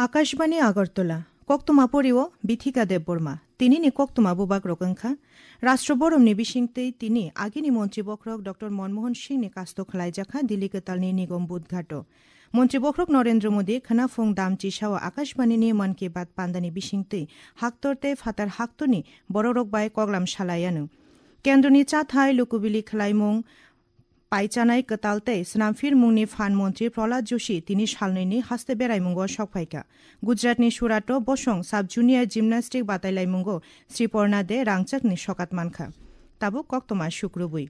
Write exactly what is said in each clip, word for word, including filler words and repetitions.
Akashbani Agartala, koktwma porio Bithika Debbarma. Tinini koktwma bubagrok wngkha, Rashtra Boromni bisingtwi tini agini montri bokhorok Doctor Manmohan Singhni kasto khwlaijakha Delhi kwtalni Nigam Bodh Ghato. Montri bokhorok Narendra Modi khwnaphung dam chisao Akashbanini Mann Ki Baat pandani bisingtwi haktor tei phatar haktorni borokrok bai koklam salaianw. Kendroni chathai lukubili khwlaimung paichanai kwtal tei snamphirmungni phan montri Prahlad Joshi tini salnwini haste beraimungo sokphaikha. Gujaratni Surato bosong sub junior gymnastic batailaimungo Sriporna De rangchakni sokat mankha. Tabuk koktwma sukrubwi.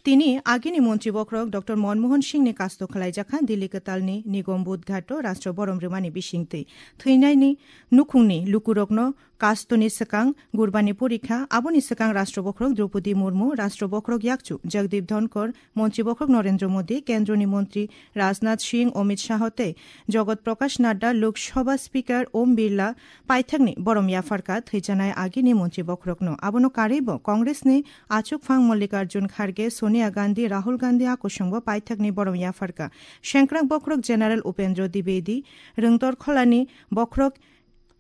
Tini agini montri bokhorok Doctor Manmohan Singhni kasto khwlaijakha Delhi kwtalni Nigam Bodh Ghato Rashtra Borom rwmani bisingtwi. Thwinaini nukhungni lukurokno kastoni swkang Gurbani porikha, aboni swkang Rashtra Bokhorok Droupadi Murmu, Rashtra Bokhorok Yakchu Jagdeep Dhonkor, Montri Bokhorok Narendra Modi, Kendroni Montri Rajnath Singh, Amit Shah tei Jagat Prakash Nadda, Lok Sabha Speaker Om Birla paithakni borom yapharkha thwijanai agini Montri Bokhorokno. Abono karwibo Congressni achukphang Mallikarjun Kharge, Sonia Gandhi, Rahul Gandhi a kusungbo paithakni borom yapharkha. Sengkrak Bokhorok General Upendra Dwivedi, Rwngtor Kholani Bokhorok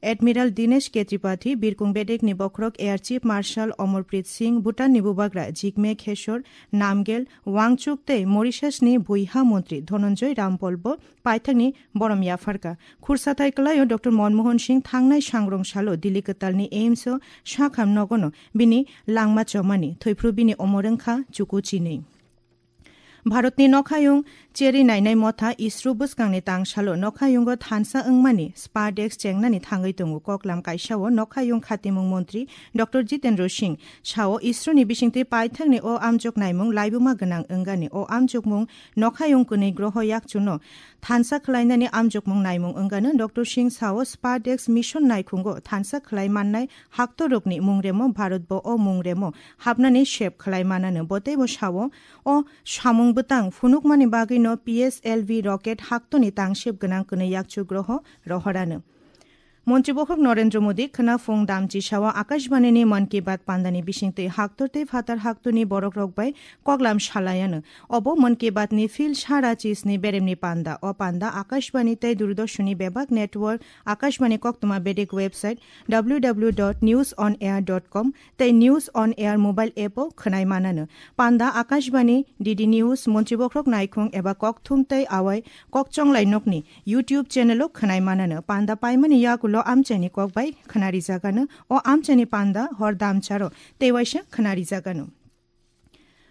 Admiral Dinesh K Tripathi, Birkung Bedekni Bokhorok Air Chief Marshal Amarpreet Singh, Bhutanni Bubagra Jigme Khesar Namgyel Wangchuk tei Mauritiusni Buiha Montri Dhananjay Rampal bo paithakni borom yapharkha. Khursathai kwlaio Doctor Manmohan Singh thangnai sangrong salo Delhi kwtalni AIIMS o sakham nogono bini langma chomani, thwiphru bini omor wngkha chuku chinwi. Bharatni nokhayung cheri nainai motha ISRO bwskangni tangsalo nokhayungo thansa wngmani spa desk chengnani thangwi tongo. Koklam kaisao nokhayung khatimung montri Doctor Jitendra Singh sao, ISRO ni bisingtwi paithakni o amjok naimung laibuma gwnang wngani. O amjokmung nokhayung kwnwi groho yakchuno thansa khwlainani amjokmung naimung wngano. Doctor Singh sao, spa desk mission naikhungo thansa khwlai mannai haktorokni mungremo Bharatbo o mungremo hapnani sep khwlai manano. Bo teibo sao, o samung bwtang phunukmani bagwino P S L V rocket haktoni tangsep gwnang kwnwi yakchu groho rohorano. Montri Bokhorok Narendra Modi khwnaphung damchi sao Akashbanini Mann Ki Baat pandani bisingtwi haktor tei phatar haktorni borokrok bai koklam salaiano. Obo Mann Ki Baatni phil sara chisni beremni panda. O panda Akashbani tei Doordarshanni bebak network, Akashbani koktwma bedek website W W W dot news on air dot com tei News on Air mobile app o khwnai manano. Panda Akashbani, D D News, Montri Bokhorok Naikhung eba Kokthum tei Awai Kokchonglai nokni YouTube channel o khwnai manano. Panda paimani yagulo amchaini kok bai khwnarijakano. O amchaini panda hor damcharo tei waisa khwnarijakano.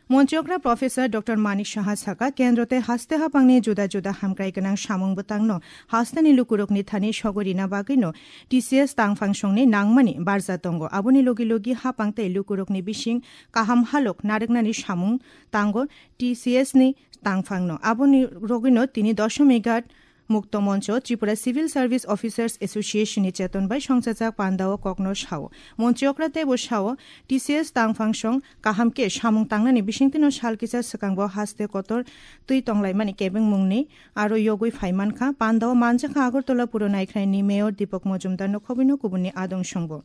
Montri okra Professor Doctor Manik Saha saka, kendro tei haste hapangni juda juda hamkrai gwnang samung bwtangno hasteni lukurokni thani sogwi rina bagwino T C S tangphang songni nangmani barja tongo. Aboni logi logi hapang tei lukurokni bising kaham halok narwknani samung tango T C S ni tangphangno. Aboni rogwino tini Doshomighat Mukto Moncho, Tripura Civil Service Officers Association ni cheton bai songchajak pandao kokno sao. Montri okra teibo sao, T C S tangphang song kaham khe samung tangnani bisingtwino sal kisa swkangbo haste kotor twi tonglaimani kebengmungni aro yogwi phai mankha. Pandao manjakha Agartala Puro Naikhraini Mayor Deepak Mojumdar no khobwino kubunni adong songbo.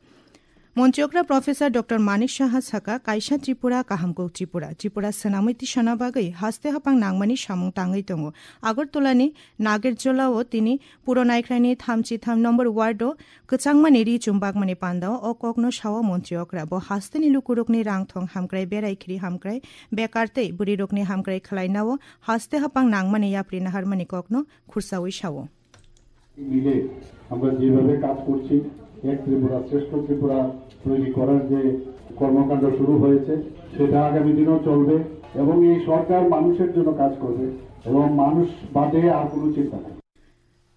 Montri okra Professor Doctor Manik Saha saka, kaisa Tripura, kaham kok Tripura. Tripura swnamwi tisana bagwi haste hapang nangmani samung tangwi tongo. Agartala ni Nagerjola o tini Puro Naikhraini thamchi tham number ward o kwchangmani ri chumbakmani pandao o kokno sao Montri okra. Bo hasteni lukurokni rang thong hamkrai, berai khiri hamkrai, bekar tei bwrwirokni hamkrai khwlainao haste hapang nangmani yapri naharmani kokno khursawi sao. মিলে আমরা যেভাবে কাজ করছি, এক ত্রিপুরা শ্রেষ্ঠ ত্রিপুরা তৈরি করার যে কর্মকাণ্ড শুরু হয়েছে, সেটা আগামী দিনেও চলবে এবং এই সরকার মানুষের জন্য কাজ করবে এবং মানুষ বাদে আর কোনো চিন্তা নেই।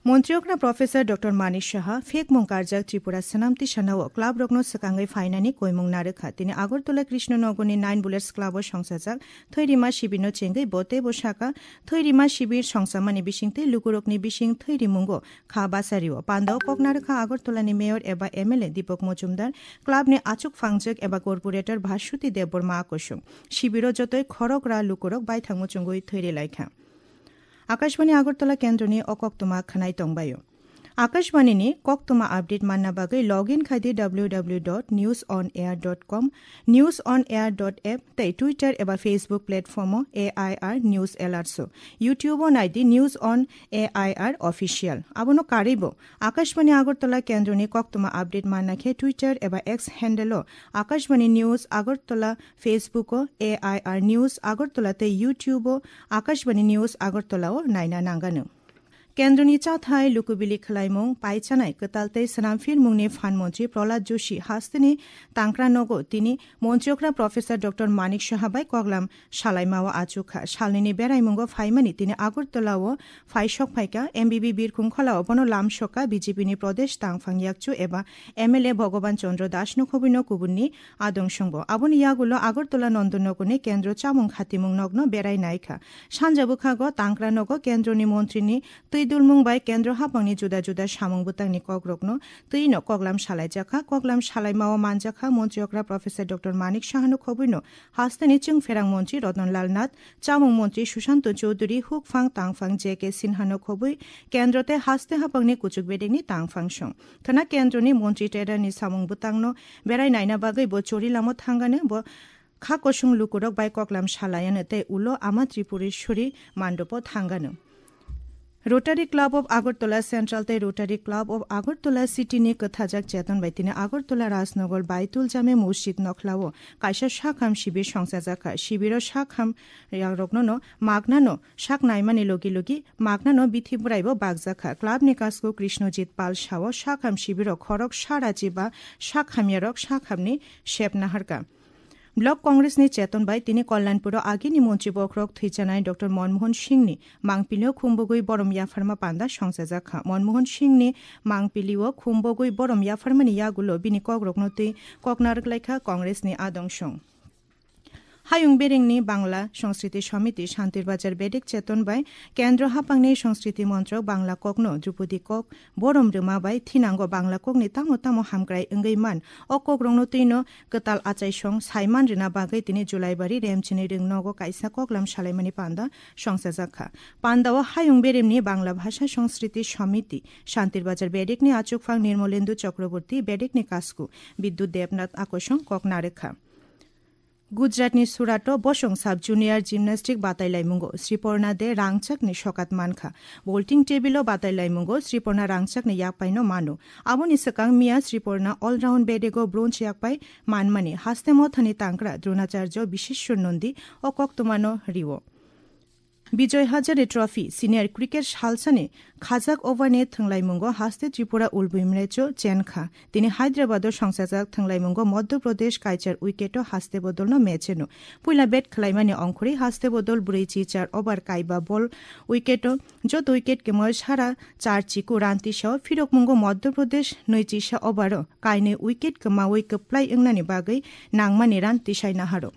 Montri okra Professor Doctor Manik Saha, phekmung karjak Tripura swnam tisanao club rokno swkangwi phainani koimung narwkha. Tini Agartala Krishna Nagarni Nine Bullets Club o songchajak Thwirima Shibirno chengwi bo teibo saka, Thwirima Shibir songchamani bisingtwi lukurokni bising thwirimungo kha basario. Pandao kok narwkha Agartala ni Mayor eba M L A Deepak Mojumdar, club ni achuk phangjak eba corporator Bhaswati Debbarma a kusung. Shibiro jotoi khorokra lukurok baithang muchungwi thwiri laikha. Akashbani Agartala kendroni o koktwma khwnai tongbaio. Akashbani ni koktwma update manna bagwi log in khai di w w w dot news on air dot com, news on air dot app tei Twitter eba Facebook platform o A I R News Alerts o. YouTube o nai di News on A I R Official. Abono karwi bo Akashbani Agartala kendroni koktwma update manna khe Twitter eba X handle o Akashbani News Agartala, Facebook o A I R News Agartala tei YouTube o Akashbani News Agartala o naina nangano. Kendroni chathai lukubili khwlaimung paichanai kwtal tei swnamphirmungni phan montri Prahlad Joshi hasteni tangkra nogo tini montri okra Professor Doctor Manik Saha bai koklam salaimao achukha. Salnini beraimungo phaimani tini Agartala o phai sok phaikha. M B B Birkhung Khola o bono lam sokha B J P ni Pradesh tangphang yakchu eba M L A Bhogoban Chandra Das no khobwino kubunni adong songbo. Aboni yagulo Agartala Nondonogor ni kendro chamung khatimung nokno berai naikha. Sanja bwkhago tangkra nogo kendroni montri ni twi dulmung bai kendro haphangni juda juda samung bwtangni kokrokno twino koklam salaijakha. Koklam salaimao manjakha montri okra Professor Doctor Manik Sahano khobwino hasteni chwngpherang montri Ratan Lal Nath, chamung montri Sushanta Chowdhury, hukphang tangphang J K Sinhano khobwi kendro tei haste haphangni kuchuk bedekni tangphang song. Khwna kendroni montri Tedar ni samung bwtangno berai naina bagwi bo Chorilamo thangano, bo kha kosong lukurok bai koklam salayano tei ulo Ama Tripureshwari mandopo thangano. Rotary Club of Agartala Central tei Rotary Club of Agartala City ni kwthajak cheton bai tini Agartala Rajnagar Baitul Jame Masjid nokhlao kaisa sakham sibir songchajakha. Sibiro sakham yakrokno magnano sak naimani logi logi magnano bithi bwraibo bakjakha. Club ni kasku Krishnojit Pal sao sakham sibiro khorok sarachi ba sakhamyarok sakhamni sep naharka. Block Congress ni cheton bai tini Kalyanpuro agini montri bokhorok thwijanai Doctor Manmohan Singh ni mangpilio khumbogwi borom yapharma panda songchajakha. Manmohan Singh ni mangpilio khumbogwi borom yapharmani yagulo bini kokrokno twi kok narwk laikha Congress ni adong song. Hayung Berengni Bangla Sanskriti Samiti Shantir Bazar Bedek cheton bai Kendro Haphangni Sanskriti Montrok Bangla kokno Drupadi kok borom rwma bai thinango Bangla kokni tamo tamo hamkrai wngwi man o kokrokno twino kwtal achaisong saiman rwna bagwi tini Julaibari Remchini Rwngnogo kaisa koklam salaimani panda songchajakha. Pandao Hayung Beremni Bangla Bhasha Sanskriti Samiti Shantir Bazar Bedekni achukphang Nirmolendu Chakraborty, Bedekni kasku Bidyut Debnath Akosong kok narwkha. Gujaratni Surato bosong sub junior gymnastic batailaimungo Sriporna De Rangchakni sokat mankha. Bolting table-o batailaimungo Sriporna Rangchakni yakpaino mano. Aboni swkang miya Sriporna all-round bedego bronze yakpai manmani haste mothani tangkra Dronacharya Biseshwar Nandi o koktwmano rio. Bijoy Hazare Trophy Senior Cricket salsani khajak overni thwnglaimungo haste Tripura Ulbui Mrecho chenkha. Tini Hyderabad-o songchajak thwnglaimungo Madhya Pradesh kaichar wicket-o haste bodolno mecheno. Puila bat khwlaimani ongkhorwi haste bodol brwi chi char over kaiba bol wicket-o joto wicket kwmawi sara char chiku run tisao phirokmungo Madhya Pradesh nwi chisa over-o kainwi wicket kwmawi kwplai wngnani bagwi nangmani run tisai naharo.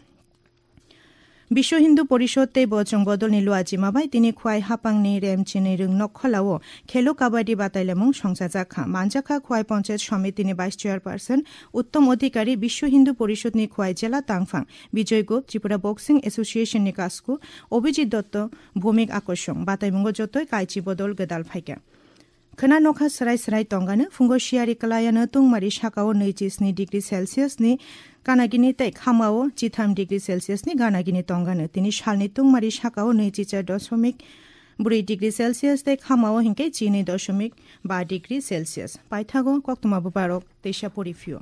Biswa Hindu Porishod tei Bojrang Bodolni Luajima bai tini Khwai Haphangni Remchini Rwngnok Kholao Khelo Kabaddi batailamung songchajakha. Manjakha Khwai Panchayat Samitini Vice Chairperson Uttom Adhikari, Biswa Hindu Porishodni Khwai Jela Tangphang Bijoy Gup, Tripura Boxing Association ni kasku Abhijit Dotto, Bhumik Akosong. Bataimungo jotoi kaichi bodol gwdal phaikha. Khwna nokha swrai swrai tongano, phungo siyari kwlayano tungmari sakao nwi chi sni degree Celsius ni ganagini tei khamao chitham degree Celsius ni ganagini tongano. Tini salni tungmari sakao nwi chi char dosomik brwi degree Celsius tei khamao hinkhe chi nwi dosomik ba degree Celsius. Paithago koktwma bwbarok teisa pori phio.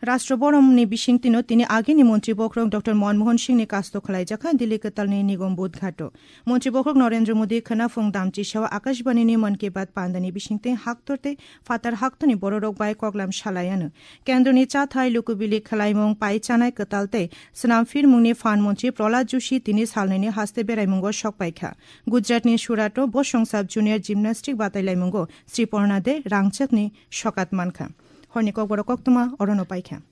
Rashtra Bhavanni bisingtwino tini agini montri bokhorok Doctor Manmohan Singhni kasto khwlaijakha Delhi kwtalni Nigam Bodh Ghato. Montri bokhorok Narendra Modi khwna phung damchisao Akashbanini Mann Ki Baat pandani bisingtwi haktor tei phatar haktorni bororok bai koklam salaiano. Kendroni chathai lukubili khwlaimung pai chanai kwtal tei swnam phirmungni phan montri Prahlad Joshi tini salnwini haste beraimungo sokpaikha. Gujaratni Surato bosong sub junior gymnastic batailaimungo Sriporna De Rangchakni sokat mankha. Horni kokborok koktwma orono paikha.